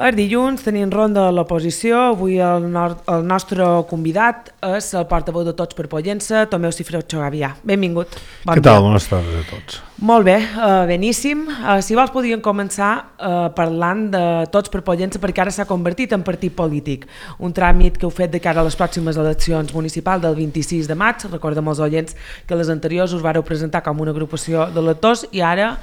El dilluns tenim ronda a l'oposició. Avui el nostre convidat és el portaveu de Tots per Pollença, Tomeu Cifreu Gavià. Benvingut. Què tal? Bones tardes a tots. Molt bé, beníssim. Si vols podríem començar parlant de Tots per Pollença, perquè ara s'ha convertit en partit polític. Un tràmit que heu fet de cara a les pròximes eleccions municipals del 26 de maig. Recordem als oients que les anteriors us vareu presentar com una agrupació d'electors i ara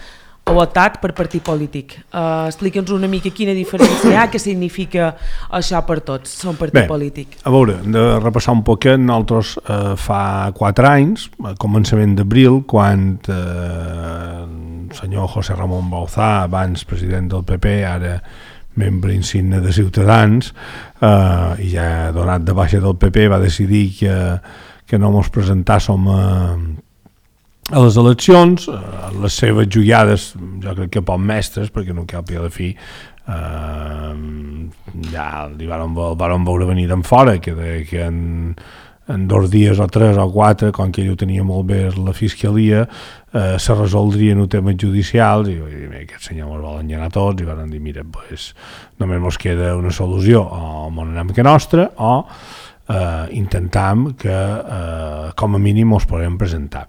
heu optat per partit polític. Explica'ns una mica quina diferència hi ha, què significa això per tots, ser un partit polític. A veure, hem de repassar un poquet. Nosaltres fa 4 anys, a començament d'abril, quan el senyor José Ramón Bauzá, abans president del PP, ara membre insigne de Ciutadans, i ja donat de baixa del PP, va decidir que no ens presentàssim a les eleccions. Les seves joiades, jo crec que poc mestres, perquè no cal a la fi, ja li varen veure venir d'en fora, que en 2 dies o 3 o 4, com que ell ho tenia molt bé la fiscalia, se resoldrien els temes judicials, i aquest senyor ens vol engegar tots, i van dir, mira, només ens queda una solució, o ens anem que nostra, o intentam que com a mínim ens podem presentar.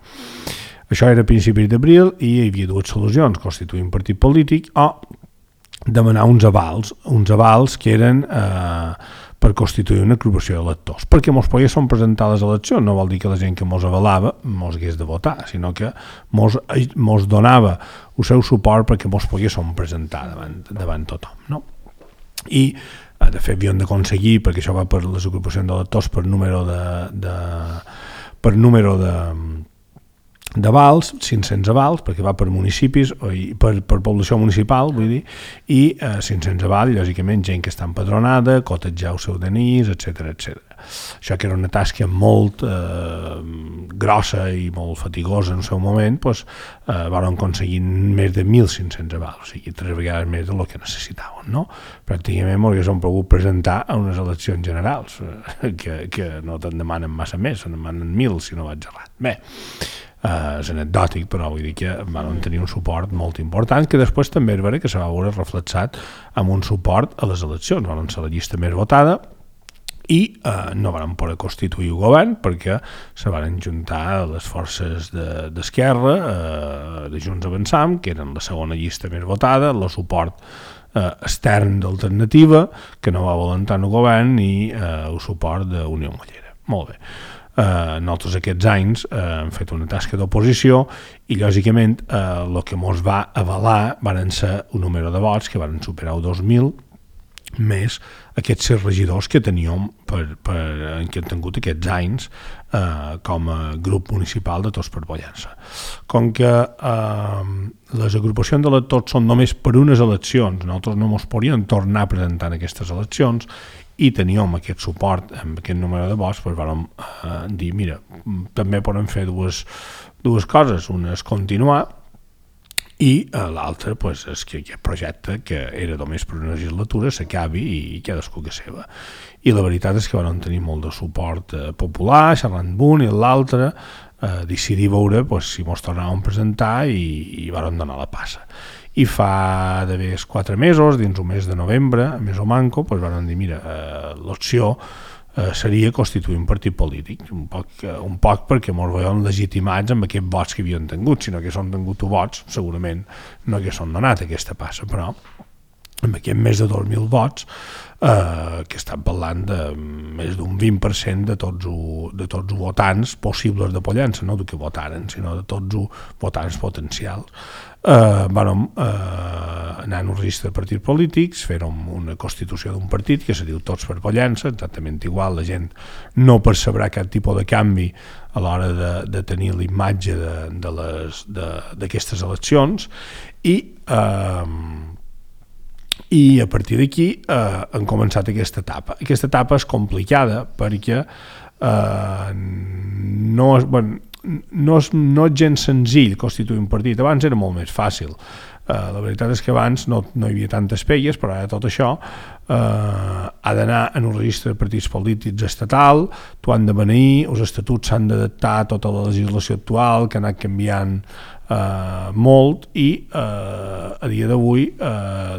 Això era a principis d'abril i hi havia 2 solucions: constituir un partit polític o demanar uns avals que eren per constituir una agrupació d'electors, perquè ens poguéssim presentar a les eleccions. No vol dir que la gent que ens avalava ens hagués de votar, sinó que ens donava el seu suport perquè ens poguéssim presentar davant tothom, no? I de fet havíem d'aconseguir, perquè això va per les agrupacions d'electors per número d'avals, 500 avals, perquè va per municipis, per població municipal, vull dir, i 500 avals, lògicament, gent que està empadronada, cotejar el seu DNI, etc. Això que era una tasca molt grossa i molt fatigosa en el seu moment, van aconseguir més de 1.500 avals, o sigui, 3 vegades més del que necessitaven, no? Pràcticament m'haguéssim pogut presentar a unes eleccions generals, que no te'n demanen massa més, se'n demanen 1.000, si no vaig errat. Bé, és anecdòtic, però vull dir que van tenir un suport molt important, que després també és vera que se va veure reflexat amb un suport a les eleccions. Van ser la llista més votada i no van poder constituir el govern perquè se van juntar les forces d'Esquerra, de Junts Avançam, que eren la segona llista més votada, el suport extern d'Alternativa, que no va voler entrar en el govern, i el suport d'Unió Mollera. Molt bé. Nosaltres aquests anys hem fet una tasca d'oposició i lògicament el que ens va avalar van ser un número de vots que van superar el 2.000 més aquests 6 regidors que teníem que hem tingut aquests anys com a grup municipal de Tots per Pollença. Com que les agrupacions d'electors són només per unes eleccions, nosaltres no ens podíem tornar a presentar en aquestes eleccions i teníem aquest suport amb aquest número de vots, vam dir, mira, també podem fer dues coses. Una és continuar i l'altra és que aquest projecte, que era només per una legislatura, s'acabi i cadascú que seva. I la veritat és que vam tenir molt de suport popular, xerrant d'un i l'altre, decidir veure si ens tornàvem a presentar i vam donar la passa. I fa d'haver 4 mesos, dins un mes de novembre, més o manco, van dir, mira, l'opció seria constituir un partit polític, un poc perquè ens veiem legitimats amb aquests vots que havien tingut. Si no haguéssim tingut vots, segurament no haguéssim donat aquesta passa, però amb aquest més de 2.000 vots, que estan parlant de més d'un 20% de tots els votants possibles de Pollença, no de que votaren, sinó de tots els votants potencials. Vam anar en un registre de partits polítics, fèrem una constitució d'un partit que se diu Tots per Pollença, exactament igual. La gent no percebrà cap tipus de canvi a l'hora de tenir l'imatge d'aquestes eleccions, i a partir d'aquí han començat aquesta etapa. Aquesta etapa és complicada perquè no és gens senzill constituir un partit. Abans era molt més fàcil. La veritat és que abans no hi havia tantes pelles, però ara tot això ha d'anar en un registre de partits polítics estatal, t'ho han de beneir, els estatuts s'han d'adaptar a tota la legislació actual, que ha anat canviant molt, i a dia d'avui,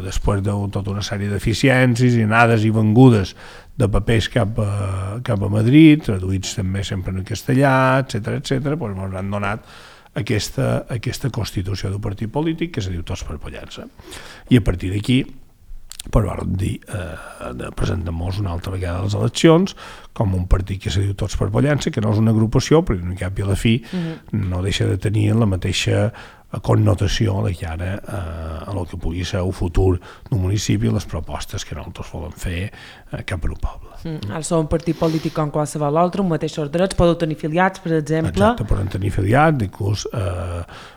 després de tota una sèrie d'eficiències i anades i vengudes de papers cap a Madrid, traduïts també sempre en castellà, etc, doncs ens han donat aquesta constitució d'un partit polític que se diu Tots per Pollença. I a partir d'aquí vam dir presentem-nos una altra vegada a les eleccions com un partit que se diu Tots per Pollença, que no és una agrupació, però no cap i a la fi no deixa de tenir la mateixa connotació de cara a el que pugui ser el futur d'un municipi i les propostes que nosaltres volem fer cap al poble. Ara sou un partit polític com qualsevol altre, amb mateixos drets, podeu tenir afiliats, per exemple. Exacte, poden tenir afiliats, inclús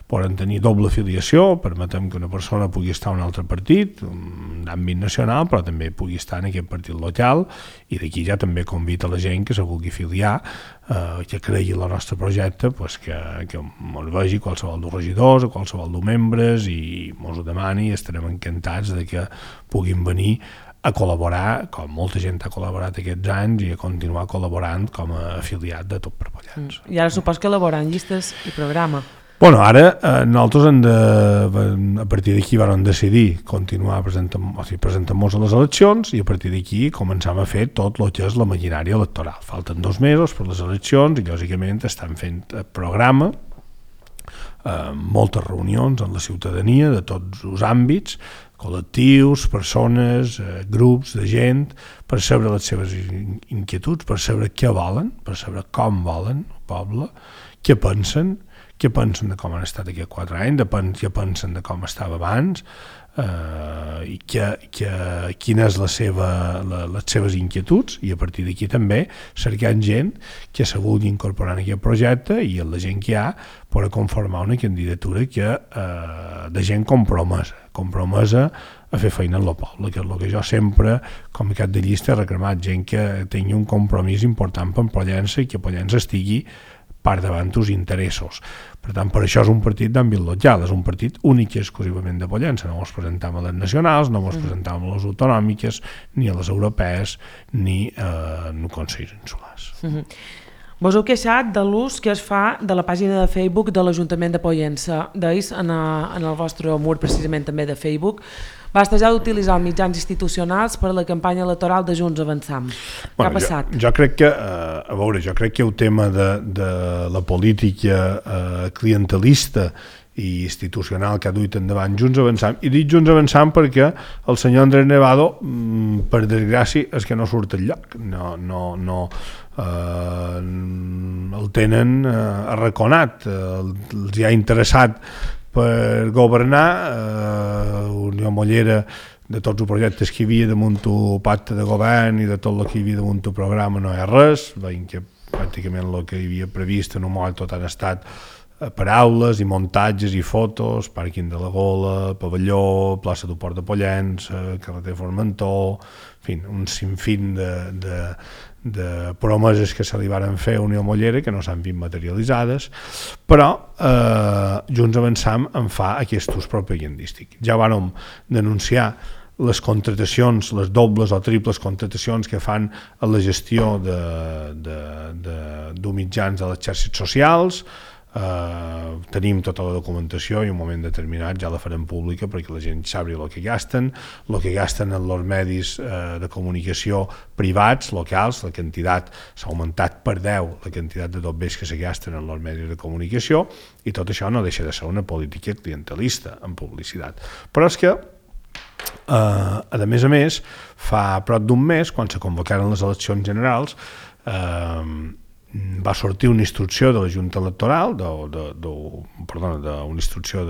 poden tenir doble afiliació, permetem que una persona pugui estar en un altre partit, d'àmbit nacional, però també pugui estar en aquest partit local, i d'aquí ja també convida la gent que se vulgui afiliar, que cregui en el nostre projecte, que ens vegi qualsevol dels regidors o qualsevol dels membres i ens ho demani, i estarem encantats de que puguin venir a col·laborar, com molta gent ha col·laborat aquests anys, i a continuar col·laborant com a afiliat de Tot per Pollença. I ara supos que elaboren llistes i programa. Bueno, ara nosaltres a partir d'aquí vam decidir continuar presentant-nos a les eleccions, i a partir d'aquí començam a fer tot el que és la maquinària electoral. Falten 2 mesos per les eleccions i lògicament estan fent programa, moltes reunions amb la ciutadania de tots els àmbits, col·lectius, persones, grups de gent, per saber les seves inquietuds, per saber què volen, per saber com volen el poble, què pensen de com han estat aquests 4 anys, què pensen de com estava abans, i quines les seves inquietuds, i a partir d'aquí també cercant gent que se vulgui incorporar en aquest projecte, i la gent que hi ha per conformar una candidatura de gent compromesa a fer feina en el poble, que és el que jo sempre, com a cap de llista, he reclamat, gent que tingui un compromís important per Pollença i que Pollença estigui per davant dels interessos. Per tant, per això és un partit d'àmbit local, és un partit únic i exclusivament de Pollença. No ens presentem a les nacionals, no ens presentem a les autonòmiques, ni a les europees, ni en consells insulars. Vos heu queixat de l'ús que es fa de la pàgina de Facebook de l'Ajuntament de Pollença. Deis en el vostre mur, precisament també de Facebook, bastejar d'utilitzar els mitjans institucionals per a la campanya electoral de Junts Avançam. Què ha passat? Jo crec que el tema de la política clientelista i institucional que ha duit endavant Junts Avançam, i dic Junts Avançam perquè el senyor Andrés Nevado, per desgràcia, és que no surt enlloc, el tenen arraconat, els hi ha interessat per governar, Unió Mollera, de tots els projectes que hi havia damunt el pacte de govern i de tot el que hi havia damunt el programa no hi ha res, veiem que pràcticament el que hi havia previst en un moment tot han estat paraules i muntatges i fotos, pàrquing de la Gola, pavelló, plaça del Port de Pollença, carreter Formentor, en fi, un sinfín de promeses que se li varen fer a Unió Mollera que no s'han vist materialitzades, però Junts Avançam en fa aquest ús propagandístic. Ja vàrem denunciar les contratacions, les dobles o triples contratacions que fan a la gestió de mitjans de les xarxes socials. Tenim tota la documentació i en un moment determinat ja la farem pública perquè la gent sàpiga el que gasten en els medis de comunicació privats, locals. La quantitat s'ha augmentat per 10 la quantitat de dobbers que se gasten en els medis de comunicació, i tot això no deixa de ser una política clientelista en publicitat. Però és que a més, fa prop d'un mes, quan se convocaren les eleccions generals, va sortir una instrucció de la Junta Electoral, una instrucció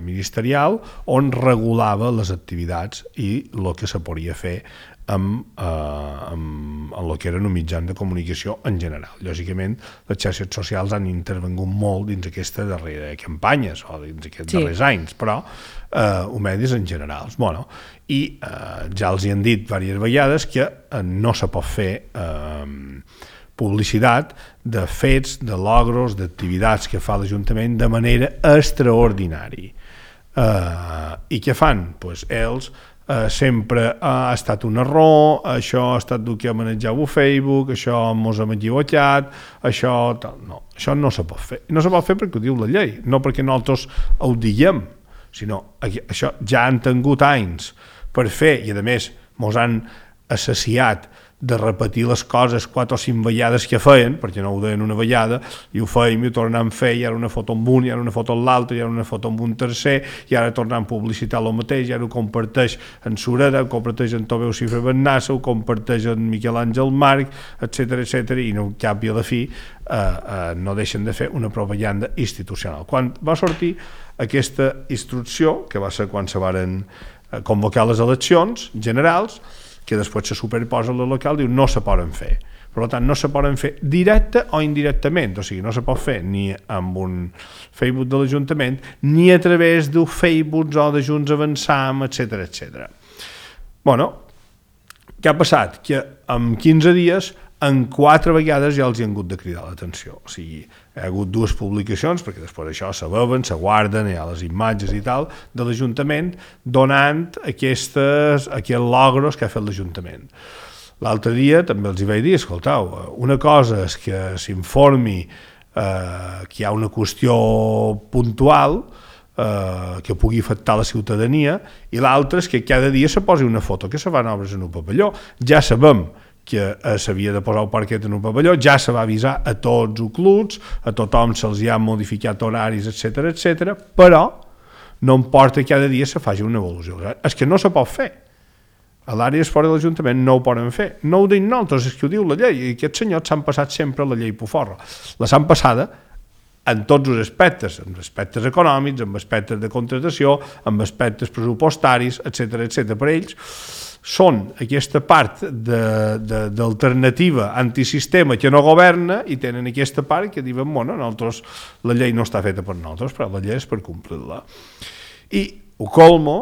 ministerial, on regulava les activitats i el que se podia fer amb el que eren mitjans de comunicació en general. Lògicament, les xarxes socials han intervingut molt dins aquestes darreres campanyes o dins aquests darrers anys, però medis en general. I ja els hi han dit diverses vegades que no se pot fer publicitat de fets, de logros, d'activitats que fa l'Ajuntament de manera extraordinària. I què fan? Pues ells sempre ha estat un error, això ha estat el que manejava Facebook, això mos hem equivocat, això no se pot fer. No se pot fer perquè ho diu la llei, no perquè nosaltres ho diguem, sinó això ja han tingut anys per fer, i a més mos han assaciat de repetir les coses 4 o 5 vegades que feien, perquè no ho deien una vegada, i ho fèiem i ho tornàvem a fer, i ara una foto amb un, i ara una foto amb l'altre, i ara una foto amb un tercer, i ara tornàvem a publicitar el mateix, i ara ho comparteix en Sureda, ho comparteix en Tomeu Cifra Bennassa, ho comparteix en Miquel Àngel Marc, etc, i no cap i a la fi no deixen de fer una propaganda institucional. Quan va sortir aquesta instrucció, que va ser quan se varen convocar les eleccions generals, que després se superposa a la local, diu no se poden fer. Per tant, no se poden fer directe o indirectament, o sigui, no se pot fer ni amb un Facebook de l'Ajuntament, ni a través d'un Facebook o de Junts Avançam, etc. Bueno, què ha passat? Que en 15 dies, en 4 vegades ja els hi han hagut de cridar l'atenció. O sigui, hi ha hagut 2 publicacions, perquè després això se veuen, se guarden, hi ha les imatges i tal, de l'Ajuntament donant aquests logros que ha fet l'Ajuntament. L'altre dia també els hi vaig dir, escoltau, una cosa és que s'informi que hi ha una qüestió puntual que pugui afectar la ciutadania, i l'altre és que cada dia se posi una foto que se fan obres en un pavelló. Ja sabem que s'havia de posar el parquet en un pavelló, ja se va avisar a tots els clubs, a tothom se'ls hi ha modificat horaris, etc, però no importa que cada dia se faci una evolució. És que no se pot fer. A l'àrea fora de l'Ajuntament no ho poden fer. No ho dic nosaltres, és que ho diu la llei, i aquests senyors s'han passat sempre la llei poforra. La s'han passada en tots els aspectes, en aspectes econòmics, en aspectes de contratació, en aspectes pressupostaris, etc. Per ells són aquesta part d'alternativa antisistema que no governa, i tenen aquesta part que diuen, bueno, nosaltres, la llei no està feta per nosaltres, però la llei és per complir-la. I ho colmo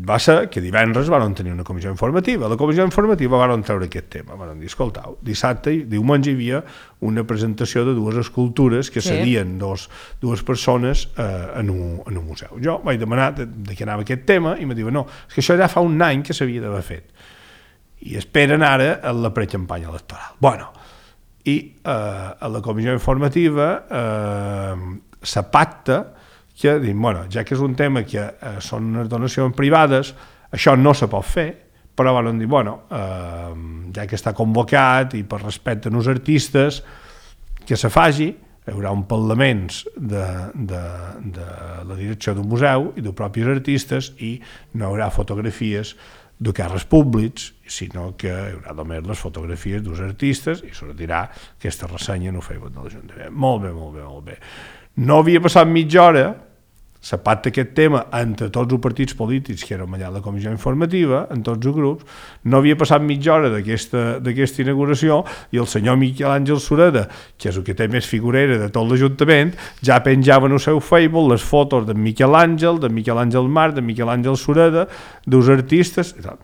va ser que divendres van tenir una comissió informativa. A la comissió informativa van treure aquest tema, van dir, escoltau, dissabte i diumenge hi havia una presentació de 2 escultures que serien dues persones en un museu. Jo vaig demanar de què anava aquest tema i em diuen, no, és que això ja fa un any que s'havia d'haver fet i esperen ara a la precampanya electoral. Bueno, i a la comissió informativa se pacta que diuen, bueno, ja que és un tema que són unes donacions privades, això no se pot fer, però van dir, bueno, ja que està convocat i per respecte als artistes, que se faci, hi haurà un parlaments de la direcció d'un museu i dels propis artistes, i no hi haurà fotografies de càrrecs públics, sinó que hi haurà només les fotografies dels artistes i sortirà aquesta ressenya en el Facebook de l'Ajuntament. Molt bé. No havia passat mitja hora, se pacta aquest tema entre tots els partits polítics que érem allà a la comissió informativa, en tots els grups, no havia passat mitja hora d'aquesta inauguració i el senyor Miquel Àngel Sureda, que és el que té més figurera de tot l'Ajuntament, ja penjava en el seu Facebook les fotos de Miquel Àngel Marc, de Miquel Àngel Sureda, dels artistes i tal.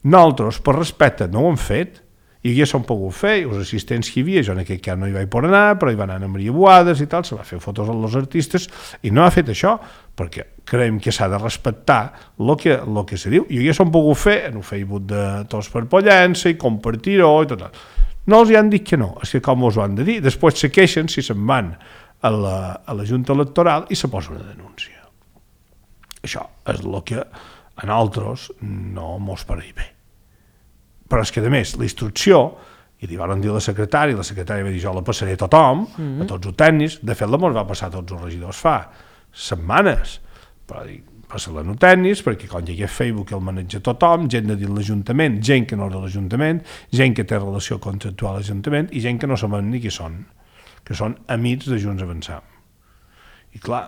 Nosaltres, per respecte, no ho hem fet, i ja s'han pogut fer, i els assistents que hi havia, jo en aquest cas no hi vaig poder anar, però hi va anar a Maria Boades i tal, se va fer fotos als artistes, i no ha fet això, perquè creiem que s'ha de respectar el que se diu, i ja s'han pogut fer en el Facebook de Tots per Pollença, i compartir-ho, i tot. No els hi han dit que no, és que com us ho han de dir, després se queixen si se'n van a la Junta Electoral i se posa una denúncia. Això és el que a nosaltres no mos pareix bé. Però és que, a més, la instrucció, i li van dir a la secretària va dir, jo la passaré a tothom, a tots els tècnics, de fet la mos va passar a tots els regidors fa setmanes, però dic, passa-la a tècnics, perquè quan hi ha Facebook el maneja tothom, gent de dins l'Ajuntament, gent que no és de l'Ajuntament, gent que té relació contractual a l'Ajuntament, i gent que no sabem ni qui són, que són amics de Junts Avançam. I clar,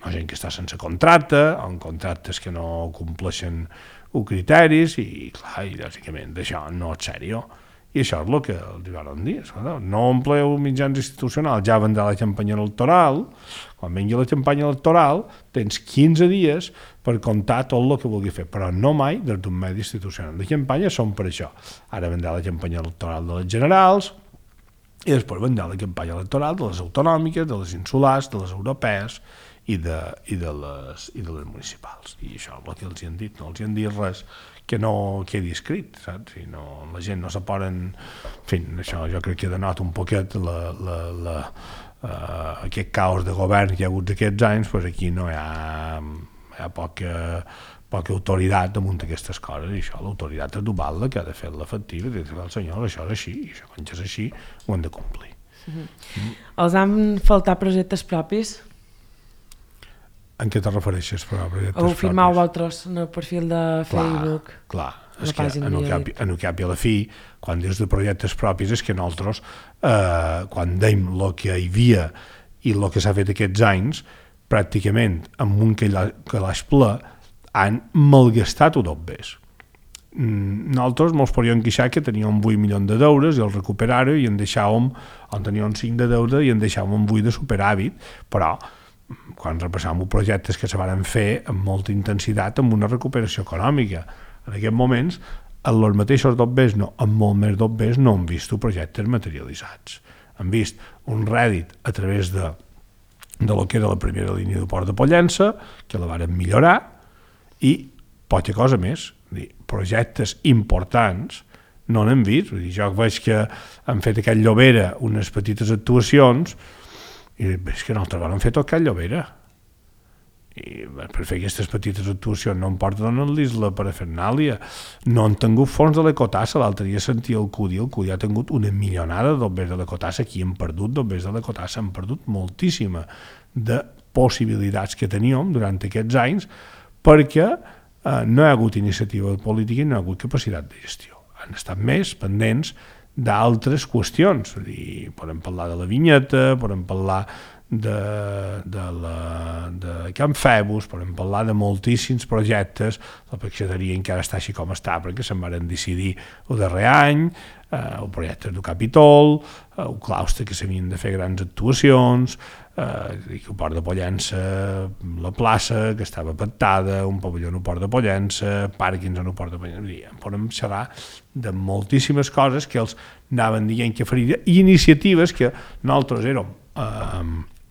gent que està sense contracte, o en contractes que no compleixen els criteris, i clar, i lògicament d'això no és sèrio. I això és el que els van dir, no ompleu mitjans institucionals, ja vendrà la campanya electoral, quan vengui la campanya electoral tens 15 dies per comptar tot el que vulgui fer, però no mai des d'un medi institucional. Les campanyes són per això. Ara vendrà la campanya electoral de les generals, i després vendrà la campanya electoral de les autonòmiques, de les insulars, de les europees i de les municipals. I això és el que els han dit, no els han dit res que no quedi escrit, saps? I no, la gent no se poden... En fi, això jo crec que denota un poquet aquest caos de govern que hi ha hagut d'aquests anys, doncs aquí no hi ha poca autoritat damunt d'aquestes coses, i això l'autoritat és Duvalda que ha de fer-la efectiva, i dir al senyor, això és així, i això quan és així ho han de complir. Els han faltat projectes propis? En què te refereixes? Ho firmau vosaltres en el perfil de Facebook? Clar, és que en el cap i a la fi, quan dius de projectes propis, és que nosaltres, quan dèiem el que hi havia i el que s'ha fet aquests anys, pràcticament amb un calaix ple, han malgastat-ho tot bé. Nosaltres ens podíem queixar que teníem 8 milions d'euros i el recuperar-ho i en deixàvem, on teníem 5 de deute i en deixàvem 8 de superàvit, però quan repassàvem projectes que se van fer amb molta intensitat amb una recuperació econòmica. En aquests moments, en els mateixos dobbers, amb molt més dobbers, no hem vist projectes materialitzats. Hem vist un rèdit a través de lo que era la primera línia de Port de Pollença, que la varen millorar, i poca cosa més. Projectes importants no n'hem vist. Jo veig que han fet a Can Llobera unes petites actuacions i és que nosaltres vam fer tot Can Llobera. I per fer aquestes petites actuacions no em porten a l'isla Parafernàlia, no han tingut fons de l'Ecotassa. L'altre dia sentia el Cudi ha tingut una milionada d'obbers de l'Ecotassa. Aquí hem perdut d'obbers de l'Ecotassa, hem perdut moltíssima de possibilitats que teníem durant aquests anys, perquè no hi ha hagut iniciativa política i no hi ha hagut capacitat de gestió. Han estat més pendents d'altres qüestions. Podem parlar de la vinyeta, podem parlar de Can Febus, podem parlar de moltíssims projectes. La peixateria encara està així com està perquè se'n van decidir el darrer any, el projecte del Capitol, el claustre que s'havien de fer grans actuacions, el Port de Pollença, la plaça que estava pactada, un pavelló en el Port de Pollença, pàrquings en el Port de Pollença. Podem xerrar de moltíssimes coses que els anaven dient que faria, i iniciatives que nosaltres érem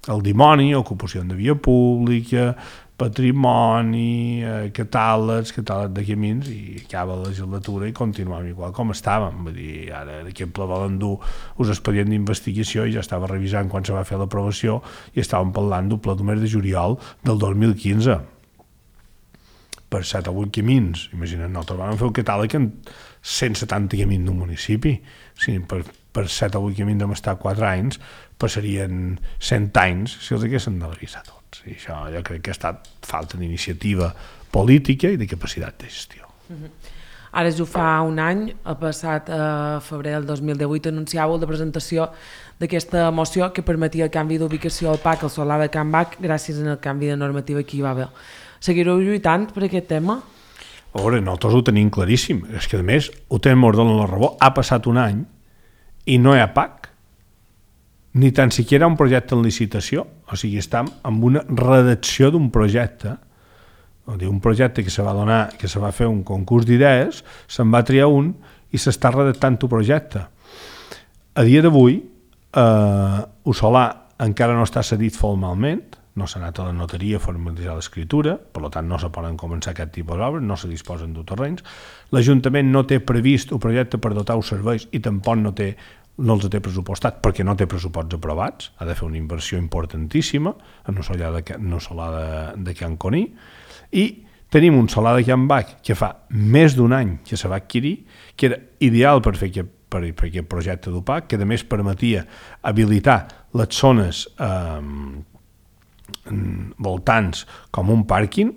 el dimoni, ocupació de via pública, patrimoni, catàlegs de camins, i acaba la legislatura i continuem igual com estàvem. Vull dir, ara aquest ple volen dur us expedient d'investigació i ja estava revisant quan se va fer l'aprovació i estàvem parlant d'un ple de mes de juliol del 2015 per 7 o 8 camins. Imagina't, nosaltres vam fer un catàleg en 170 camins d'un municipi. Sí, per 7 o 8 camins hem estat 4 anys, passarien 100 anys si els haguessin de revisar tots. I això jo crec que ha estat falta d'iniciativa política i de capacitat de gestió. Ara jo fa un any, el passat febrer del 2018, anunciàveu la presentació d'aquesta moció que permetia el canvi d'ubicació al PAC al Solar de Can Bac gràcies al canvi de normativa que hi va haver. Seguireu lluitant per aquest tema? A veure, nosaltres ho tenim claríssim. És que, a més, ho tenim ordre en la raó. Ha passat un any i no hi ha PAC. Ni tan siquiera un projecte en licitació. O sigui, estem amb una redacció d'un projecte, un projecte que se va donar, que se va fer un concurs d'idees, se'n va triar un i s'està redactant un projecte. A dia d'avui, el solar encara no està cedit formalment, no s'ha anat a la notaria a formalitzar l'escriptura, per tant no se poden començar aquest tipus d'obres, no se disposen de terrenys. L'Ajuntament no té previst un projecte per dotar els serveis i tampoc no els té pressupostat perquè no té pressuposts aprovats, ha de fer una inversió importantíssima en el solar de Can Coní, i tenim un solar de Can Bac que fa més d'un any que se va adquirir, que era ideal per fer aquest projecte d'UPAC, que a més permetia habilitar les zones voltants com un pàrquing,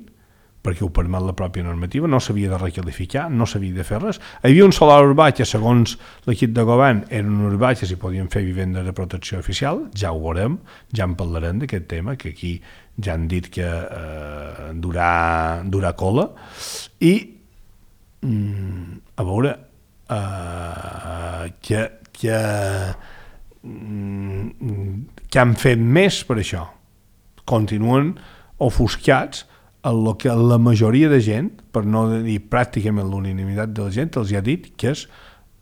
perquè ho permet la pròpia normativa, no s'havia de requalificar, no s'havia de fer res. Hi havia un solar urbà que, segons l'equip de govern, era un urbà que s'hi podien fer vivendes de protecció oficial, ja ho veurem, ja en parlarem d'aquest tema, que aquí ja han dit que durà cola, i a veure que han fet més per això. Continuen ofuscats el que la majoria de gent, per no dir pràcticament l'unanimitat de la gent, els ha dit que és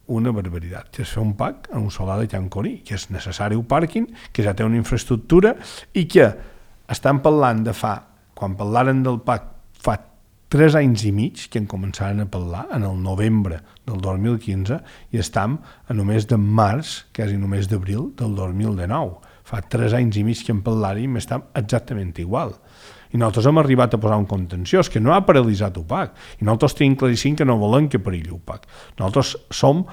una barbaritat, que és fer un parc en un solar de Can Coní, que és necessari un pàrquing, que ja té una infraestructura i que estan parlant de quan parlaren del parc fa 3 anys i mig que en començaren a parlar, en el novembre del 2015, i estem a només de març, quasi només d'abril del 2019. Fa 3 anys i mig que en parlàrem i estem exactament igual. I nosaltres hem arribat a posar un contenciós que no ha paralitzat UPAC, i nosaltres tenim claríssim que no volem que perilli UPAC. Nosaltres som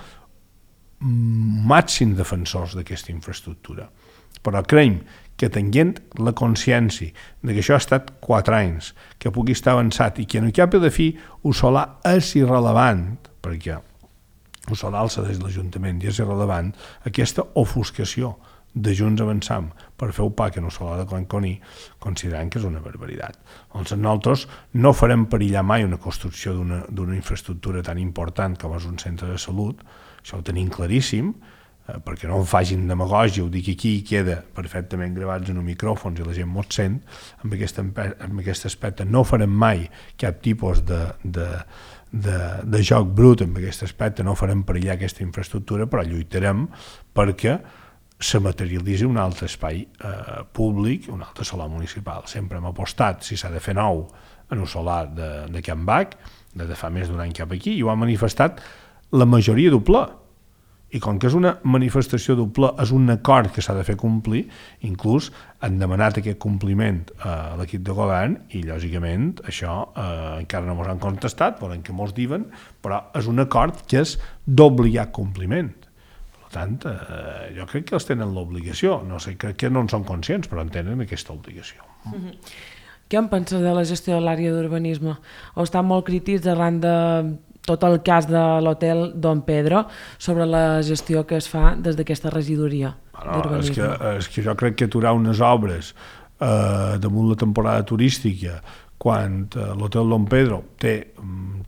màxims defensors d'aquesta infraestructura, però creiem que tenint la consciència de que això ha estat 4 anys, que pugui estar avançat i que en el cap de fi el solar és irrelevant, perquè el solar el cedeix l'Ajuntament i és irrelevant, aquesta ofuscació de Junts Avançam per fer UPAC en el solar de Can Coní, considerant que és una barbaritat. Doncs nosaltres no farem perillar mai una construcció d'una infraestructura tan important com és un centre de salut, això ho tenim claríssim, perquè no en facin demagògia, ho dic aquí i queda perfectament gravats en un micròfon i la gent mos sent, amb aquest aspecte no farem mai cap tipus de joc brut amb aquest aspecte, no farem perillar aquesta infraestructura, però lluitarem perquè se materialitzi un altre espai públic, un altre solar municipal. Sempre hem apostat, si s'ha de fer nou, en un solar de Can Bac, de fa més d'un any cap aquí, i ho ha manifestat la majoria del ple. I com que és una manifestació del ple, és un acord que s'ha de fer complir, inclús han demanat aquest compliment a l'equip de govern i, lògicament, això encara no ens han contestat, volen que mos diuen, però és un acord que és d'obligat compliment. Per tant, jo crec que els tenen l'obligació, no sé, crec que no en són conscients, però en tenen aquesta obligació. Què en penses de la gestió de l'àrea d'urbanisme? O estan molt crítics arran de tot el cas de l'hotel Don Pedro sobre la gestió que es fa des d'aquesta regidoria d'urbanisme? És que jo crec que aturar unes obres damunt la temporada turística quan l'hotel Don Pedro té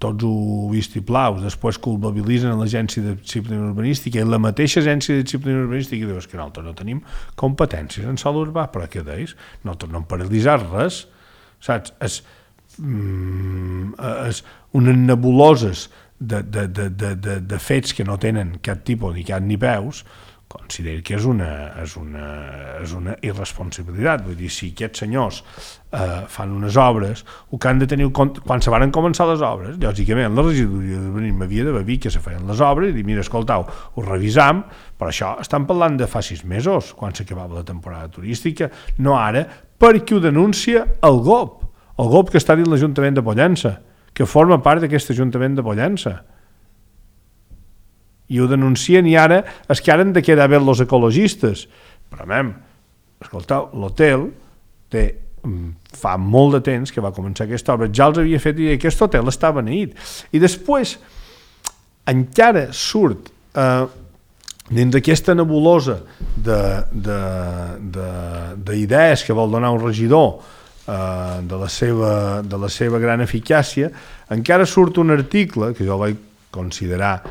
tots ho vistiplaus, després culpabilitzen l'agència de disciplina urbanística i la mateixa agència de disciplina urbanística diu que nosaltres no tenim competències en sòl urbà, però què deis? Nosaltres no hem paralitzat res, saps? És unes nebuloses de fets que no tenen cap tipus ni cap ni peus, considero que és una irresponsabilitat. Vull dir, si aquests senyors fan unes obres, el que han de tenir quan se van començar les obres, lògicament la regidoria d'urbanisme havia de dir que se feien les obres i dir, mira, escoltau, ho revisam, però això estan parlant de fa 6 mesos, quan s'acabava la temporada turística, no ara, perquè ho denuncia el GOP que està dins l'Ajuntament de Pollença, que forma part d'aquest Ajuntament de Pollença. I ho denuncien i ara és que ara han de quedar bé els ecologistes. Però, escoltau, l'hotel fa molt de temps que va començar aquesta obra, ja els havia fet i aquest hotel està beneït. I després encara surt dins d'aquesta nebulosa d'idees que vol donar un regidor de la seva gran eficàcia, encara surt un article que jo vaig considerar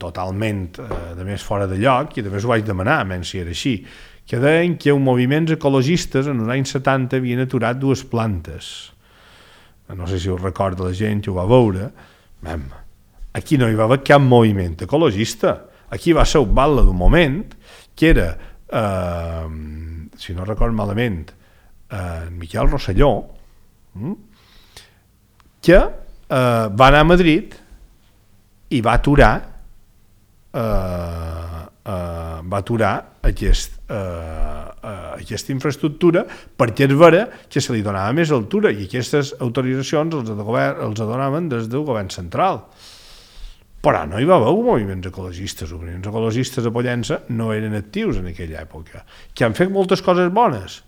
totalment de més fora de lloc i de més ho vaig demanar, menys si era així, que deien que els moviments ecologistes en els anys 70 havien aturat 2 plantes. No sé si us recorda la gent que ho va veure. Aquí no hi va haver cap moviment ecologista. Aquí va ser un batle d'un moment que era, si no record malament, Miquel Rosselló, que va anar a Madrid i va aturar aquesta infraestructura perquè és vera que se li donava més altura i aquestes autoritzacions els donaven des del govern central. Però no hi va haver moviments ecologistes. Els moviments ecologistes a Pollença no eren actius en aquella època, que han fet moltes coses bones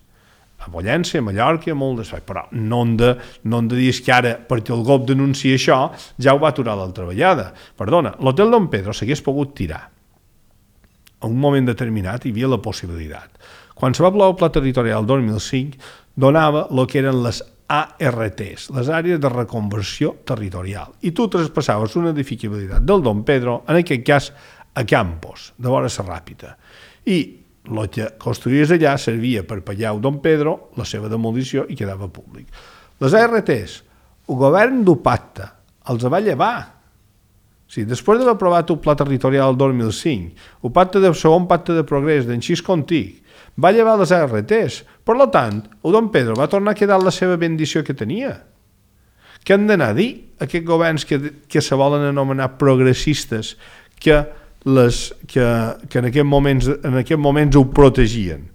a Pollença, a Mallorca, molt d'espai, però no hem de dir que ara, perquè el GOP denuncia això, ja ho va aturar l'altra vegada. Perdona, l'hotel Don Pedro s'hagués pogut tirar. A un moment determinat hi havia la possibilitat. Quan se va aprovar el Pla Territorial 2005, donava el que eren les ARTs, les àrees de reconversió territorial, i tu traspassaves una edificabilitat del Don Pedro, en aquest cas a Campos, de vora la Ràpita, i el que construïes allà servia per pagar a Don Pedro la seva demolició i quedava públic. Les ARTs, el govern del pacte els va llevar Sí, després d'haver aprovat el Pla Territorial del 2005, el segon pacte de progrés d'en Xis Contic, va llevar les RTs. Per tant, el Don Pedro va tornar a quedar la seva bendició que tenia. Què han d'anar a dir aquests governs que se volen anomenar progressistes que en aquests moments ho protegien?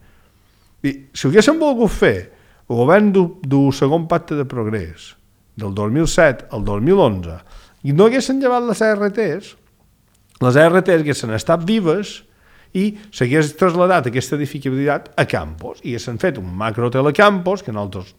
I si ho haguessin volgut fer el govern del segon pacte de progrés del 2007 al 2011 i no haguessin llevat les RTs haguessin estat vives i s'hagués traslladat aquesta edificabilitat a Campos i s'han fet un macrohotel a Campos que nosaltres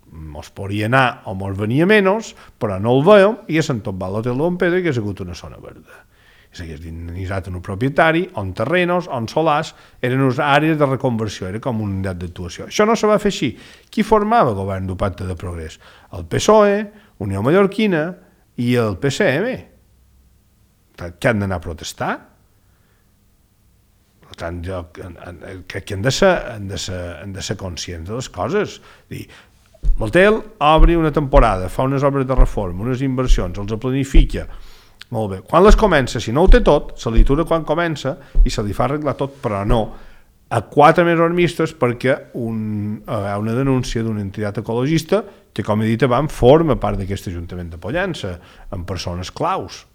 mos podria anar o mos venia menys, però no el veiem i s'han tombat l'hotel de Don Pedro i que ha sigut una zona verda. I s'hagués dinamitzat un propietari, on terrenos, on solars, eren unes àrees de reconversió, era com una unitat d'actuació. Això no se va fer així. Qui formava el govern del Pacte de Progrés? El PSOE, Unió Mallorquina i el PCM. Que han d'anar a protestar? Per tant, jo crec que han de ser conscients de les coses. L'hotel obre una temporada, fa unes obres de reforma, unes inversions, els planifica, molt bé. Quan les comença, si no ho té tot, se li atura quan comença i se li fa arreglar tot, però no a 4 mesos mistos perquè hi ha una denúncia d'una entitat ecologista que, com he dit abans, forma part d'aquest Ajuntament de Pollença, amb persones claus.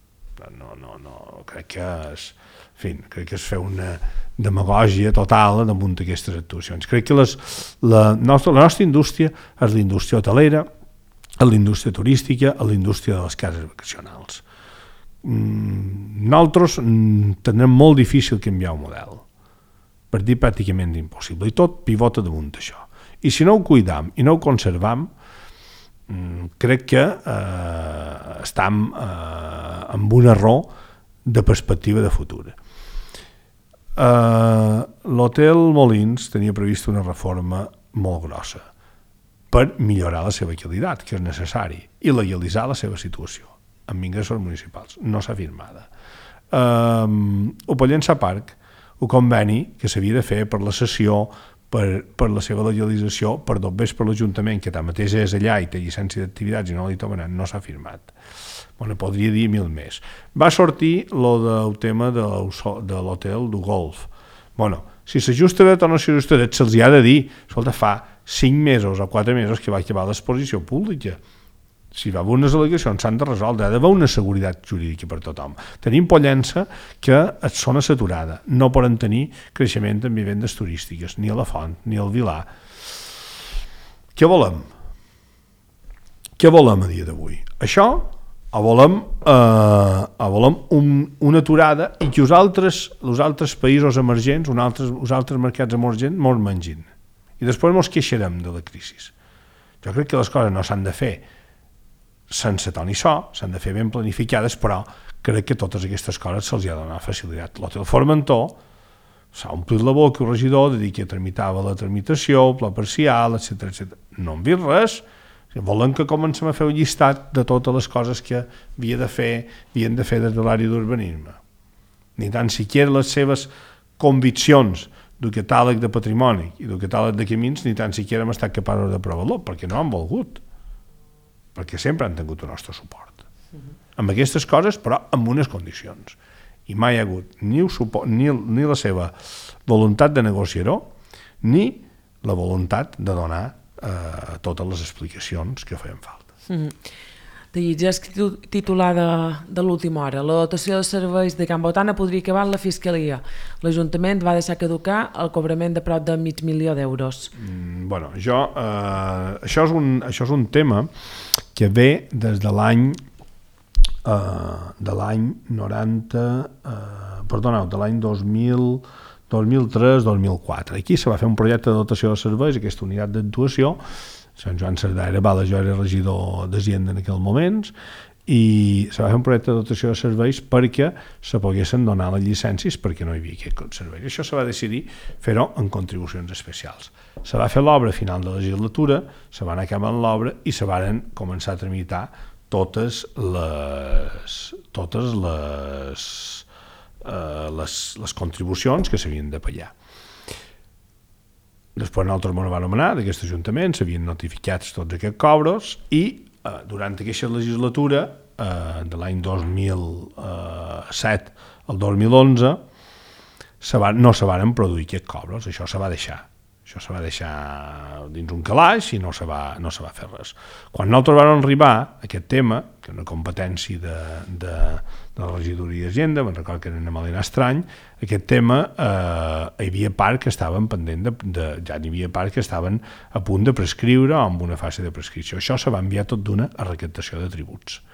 No, crec que és fer una demagògia total damunt d'aquestes actuacions. Crec que la nostra indústria és la indústria hotelera, és la indústria turística, és la indústria de les cases vacacionals. Nosaltres tindrem molt difícil canviar el model, per dir pràcticament impossible, i tot pivota damunt d'això. I si no ho cuidam i no ho conservam, crec que estem amb un error de perspectiva de futur. L'hotel Molins tenia previst una reforma molt grossa per millorar la seva qualitat, que és necessari, i legalitzar la seva situació amb ingressos municipals. No s'ha firmada. El Pollença Parc, el conveni que s'havia de fer per la cessió, per la seva legalització, per dobbers per l'Ajuntament, que tanmateix és allà i té llicència d'activitats i no li toca, no s'ha firmat. Bueno, podria dir 1000 més. Va sortir el tema de l'hotel del golf. Bueno, si s'ajusta bé o no s'ajusta bé, se'ls ha de dir, escolta, fa 5 mesos o 4 mesos que va acabar l'exposició pública. Si va haver unes al·legacions, s'han de resoldre, ha d'haver una seguretat jurídica per tothom. Tenim Pollença que és zona saturada, no poden tenir creixement en vivendes turístiques, ni a la Font, ni al Vilar. Què volem? Què volem a dia d'avui? Això? O volem una aturada i que els altres països emergents, els altres mercats emergents, mos mengin. I després mos queixarem de la crisi. Jo crec que les coses no s'han de fer sense ton i so, s'han de fer ben planificades, però crec que totes aquestes coses se'ls ha de donar facilitat. L'hotel Formentor s'ha omplit la boca el regidor de dir que tramitava la tramitació, el pla parcial, etc. No han vist res. Volen que comencem a fer un llistat de totes les coses que havien de fer des de l'àrea d'urbanisme. Ni tan siquiera les seves conviccions del catàleg de patrimoni i del catàleg de camins ni tan siquiera hem estat capaços d'aprovar-lo, perquè no han volgut, perquè sempre han tingut el nostre suport. Amb aquestes coses, però amb unes condicions. I mai hi ha hagut ni la seva voluntat de negociar-ho, ni la voluntat de donar totes les explicacions que feien falta. Ja és titular de l'última hora. La dotació de serveis de Can Botana podria acabar la Fiscalia. L'Ajuntament va deixar caducar el cobrament de prop de $500.000 d'euros. Bueno, això és un tema que ve des de l'any 2003-2004. Aquí se va fer un projecte de dotació de serveis, aquesta unitat d'actuació. Sant Joan Cerdà era bala, jo era regidor d'Hisenda en aquell moment, i se va fer un projecte de dotació de serveis perquè se poguessin donar les llicències perquè no hi havia aquest servei. Això se va decidir fer-ho en contribucions especials. Se va fer l'obra a final de legislatura, se van acabar l'obra i se van començar a tramitar totes les contribucions que s'havien de pagar. Després nosaltres ens vam anomenar d'aquest Ajuntament, s'havien notificat tots aquests cobros i durant aquesta legislatura de l'any 2007 al 2011 no se van produir aquests cobros, això se va deixar. Això se va deixar dins un calaix i no se va fer res. Quan nosaltres vam arribar a aquest tema, que és una competència de la regidoria d'Hisenda, me'n recordo que era una Malena Estrany, aquest tema hi havia part que estaven pendent ja n'hi havia part que estaven a punt de prescriure o amb una fase de prescripció. Això se va enviar tot d'una a recaptació de tributs.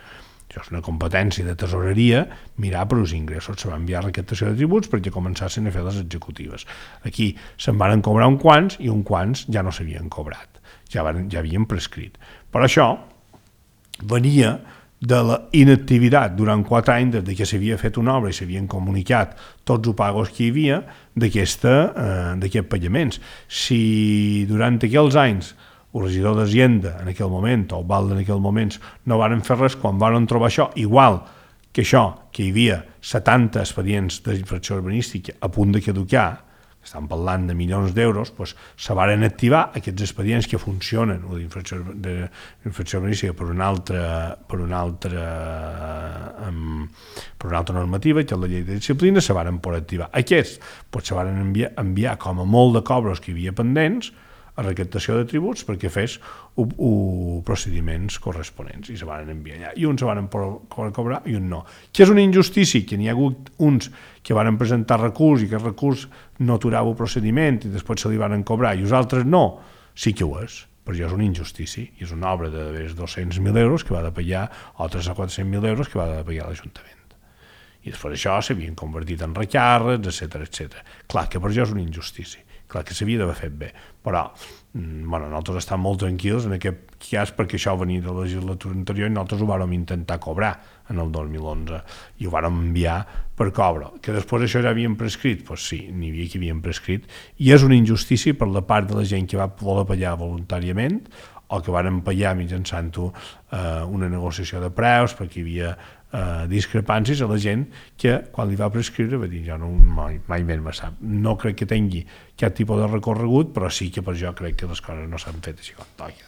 Això és una competència de tesoreria, mirar per els ingressos. Se va enviar a recaptació de tributs perquè començassin a fer les executives. Aquí se'n van cobrar uns quants i uns quants ja no s'havien cobrat, ja havien prescrit. Però això venia de la inactivitat durant 4 anys des que s'havia fet una obra i s'havien comunicat tots els pagos que hi havia d'aquests pagaments. Si durant aquells anys el regidor d'Hisenda en aquell moment, o el Valde en aquell moment, no varen fer res, quan varen trobar això, igual que això, que hi havia 70 expedients d'infracció urbanística a punt de caducar, estan parlant de milions d'euros, doncs se varen activar aquests expedients que funcionen d'infracció urbanística per una altra normativa, que és la llei de disciplina, se varen poder activar. Aquests se varen enviar com a molt de cobros que hi havia pendents a recaptació de tributs perquè fes procediments corresponents i se van enviar allà. I uns se van cobrar i uns no. Que és una injustícia, que n'hi ha hagut uns que van presentar recurs i que el recurs no aturava el procediment i després se li van cobrar i els altres no. Sí que ho és, però ja és una injustícia i és una obra de 200.000 euros que va de pagar o 300 o 400.000 euros que va de pagar l'Ajuntament. I després això s'havien convertit en recàrrecs, etc. Clar que per això és una injustícia. Clar que s'havia d'haver fet bé, però nosaltres estem molt tranquils en aquest cas perquè això venia de la legislatura anterior i nosaltres ho vàrem intentar cobrar en el 2011 i ho vàrem enviar per cobro. Que després això ja havien prescrit? Doncs sí, n'hi havia que havien prescrit i és una injustícia per la part de la gent que va voler pagar voluntàriament o que varen pagar mitjançant una negociació de preus perquè hi havia discrepàncies a la gent que quan li va prescriure va dir jo mai més me sap. No crec que tingui cap tipus de recorregut, però sí que per jo crec que les coses no s'han fet així com toca.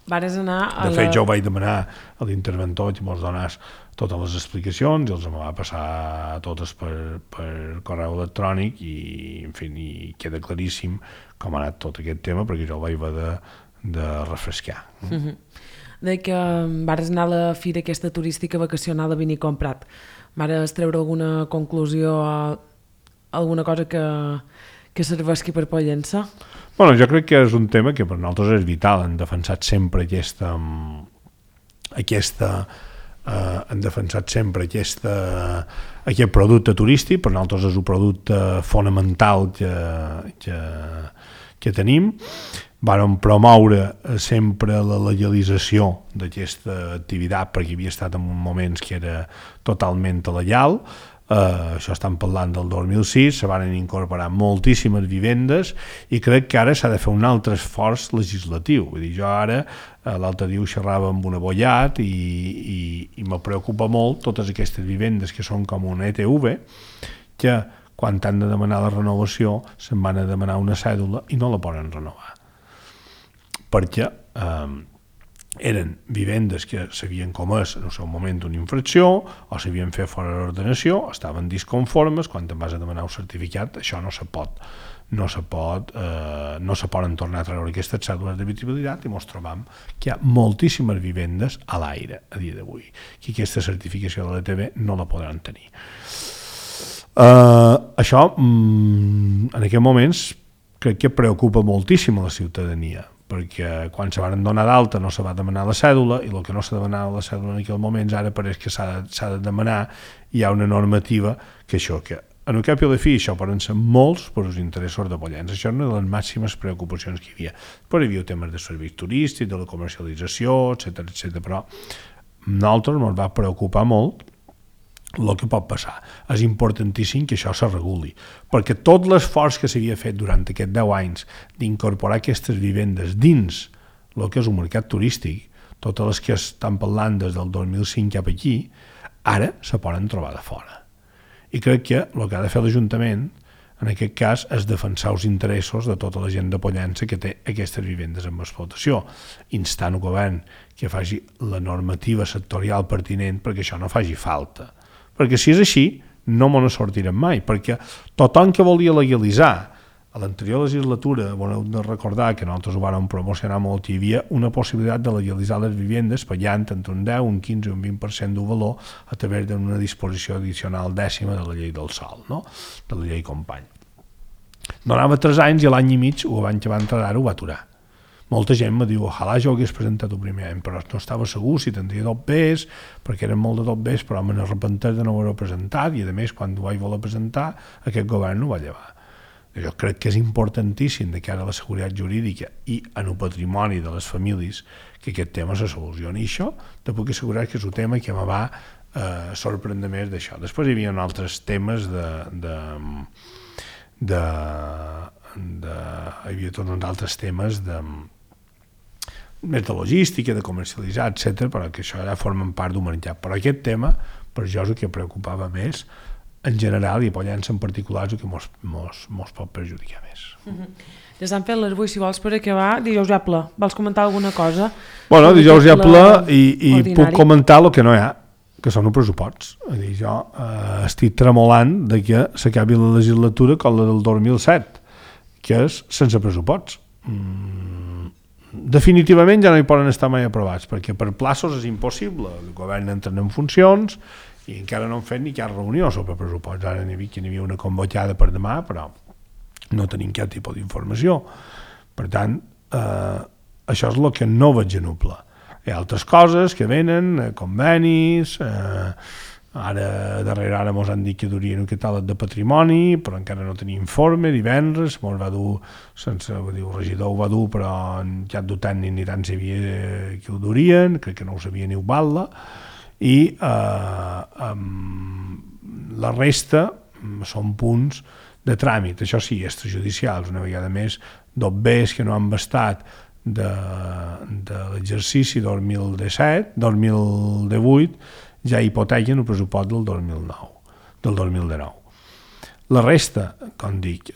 Vares anar de fet, jo vaig demanar a l'interventor que mos donés totes les explicacions i els va passar totes per correu electrònic i, en fi, queda claríssim com ha anat tot aquest tema perquè jo el vaig haver de refrescar. De que vares anar a la fira aquesta turística vacacional a Vinicom-Prat. Vares treure alguna conclusió o alguna cosa que serveixi per Pollença? Bueno, jo crec que és un tema que per nosaltres és vital. Hem defensat sempre aquest producte turístic. Per nosaltres és un producte fonamental que tenim. Vàrem promoure sempre la legalització d'aquesta activitat perquè havia estat en moments que era totalment il·legal. Això estan parlant del 2006, se van incorporar moltíssimes vivendes i crec que ara s'ha de fer un altre esforç legislatiu. Vull dir, jo ara, l'altre dia ho xerrava amb un abogat i me preocupa molt totes aquestes vivendes que són com una ETV, que quan han de demanar la renovació se'n van a demanar una cèdula i no la poden renovar. Perquè eren vivendes que s'havien comès en el seu moment una infracció o s'havien fet fora de l'ordenació, estaven disconformes, quan te'n vas a demanar un certificat, això no se poden tornar a treure aquestes cèdules d'habitabilitat i ens trobam que hi ha moltíssimes vivendes a l'aire a dia d'avui, que aquesta certificació de l'ETV no la podran tenir. Això, en aquests moments, crec que preocupa moltíssim a la ciutadania, perquè quan se van donar d'alta no se va demanar la cèdula i el que no s'ha demanat la cèdula en aquell moment ara pareix que s'ha de demanar. Hi ha una normativa que això, que en el cap i a la fi això poden ser molts per als interessos de Pollença. Això és una de les màximes preocupacions que hi havia. Però hi havia temes de serveis turístics, de la comercialització, etc. Però a nosaltres ens va preocupar molt el que pot passar. És importantíssim que això se reguli, perquè tot l'esforç que s'havia fet durant aquests 10 anys d'incorporar aquestes vivendes dins el que és un mercat turístic, totes les que estan parlant des del 2005 cap aquí, ara se poden trobar de fora. I crec que el que ha de fer l'Ajuntament en aquest cas, és defensar els interessos de tota la gent de Pollença que té aquestes vivendes en explotació, instant el govern que faci la normativa sectorial pertinent perquè això no faci falta. Perquè si és així, no me ne sortirem mai, perquè tothom que volia legalitzar a l'anterior legislatura, heu de recordar que nosaltres ho vàrem promocionar molt, hi havia una possibilitat de legalitzar les vivendes pagant entre un 10, un 15 o un 20% del valor a través d'una disposició addicional dècima de la llei del sòl, no? De la llei Company. Donava 3 anys i l'any i mig, el govern que va entrar ara ho va aturar. Molta gent me diu, ojalà jo hagués presentat el primer any, però no estava segur si tindria dobbers, perquè eren molt de dobbers, però me n'arrepenteix de no haver-ho presentat, i a més, quan ho vaig voler presentar, aquest govern ho va llevar. Jo crec que és importantíssim de cara a la seguretat jurídica i en el patrimoni de les famílies que aquest tema se solucioni. I això te puc assegurar que és un tema que me va sorprendre més d'això. Després hi havia altres temes hi havia tots uns altres temes més de logística, de comercialitzar, etc., però que això ja formen part d'un menjar. Però aquest tema, per jo, és el que preocupava més en general, i a Pollença en particular, és el que mos pot perjudicar més. Ja s'han fet les 8, si vols per acabar, dijous ja ple. Vols comentar alguna cosa? Bueno, dijous ja ple i puc comentar el que no hi ha, que són els pressuposts. Jo estic tremolant de que s'acabi la legislatura com la del 2007, que és sense pressuposts. Definitivament ja no hi poden estar mai aprovats, perquè per plaços és impossible. El govern entra en funcions i encara no han fet ni cap reunió sobre pressupost. Ara n'hi havia una convocada per demà, però no tenim cap tipus d'informació. Per tant, això és el que no veig en pla. Hi ha altres coses que venen, convenis, darrere ara ens han dit que durien un catàleg de patrimoni, però encara no tenia informe, divendres, ens va dur, el regidor ho va dur, però en cap dur tècnic ni tant sabia que ho durien, crec que no ho sabia ni ho val-la, i la resta són punts de tràmit, això sí, extrajudicials, una vegada més, dobbers que no han bastat de l'exercici 2017, 2018, ja hipotequen el pressupost del 2019. La resta, com dic,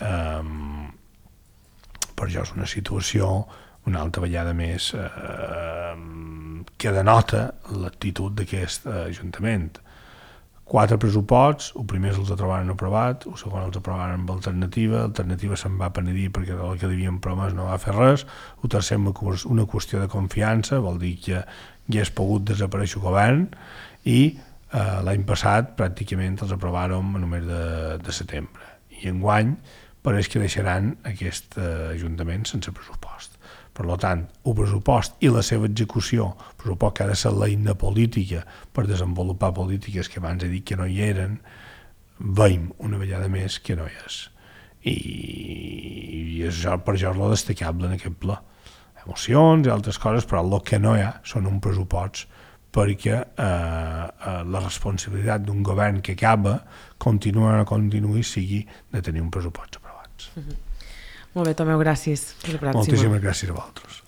per jo és una situació una altra vegada més que denota l'actitud d'aquest Ajuntament. 4 pressuposts, el primer se'ls trobaran aprovat, el segon els aprovaran amb l'alternativa se'n va penedir perquè del que devien promès no va fer res, el tercer una qüestió de confiança, vol dir que hagués pogut desaparèixer el govern, i l'any passat pràcticament els aprovàrem a només de setembre. I enguany pareix que deixaran aquest Ajuntament sense pressupost. Per tant, el pressupost i la seva execució, el pressupost que ha de ser l'eina política per desenvolupar polítiques que abans he dit que no hi eren, veiem una vegada més que no hi és. I això, per això és lo destacable en aquest ple. Emocions i altres coses, però el que no hi ha són un pressupost perquè la responsabilitat d'un govern que acaba, continua o no continuï, sigui de tenir un pressupost aprovats. Molt bé, Tomeu, gràcies. Moltíssimes gràcies a vosaltres.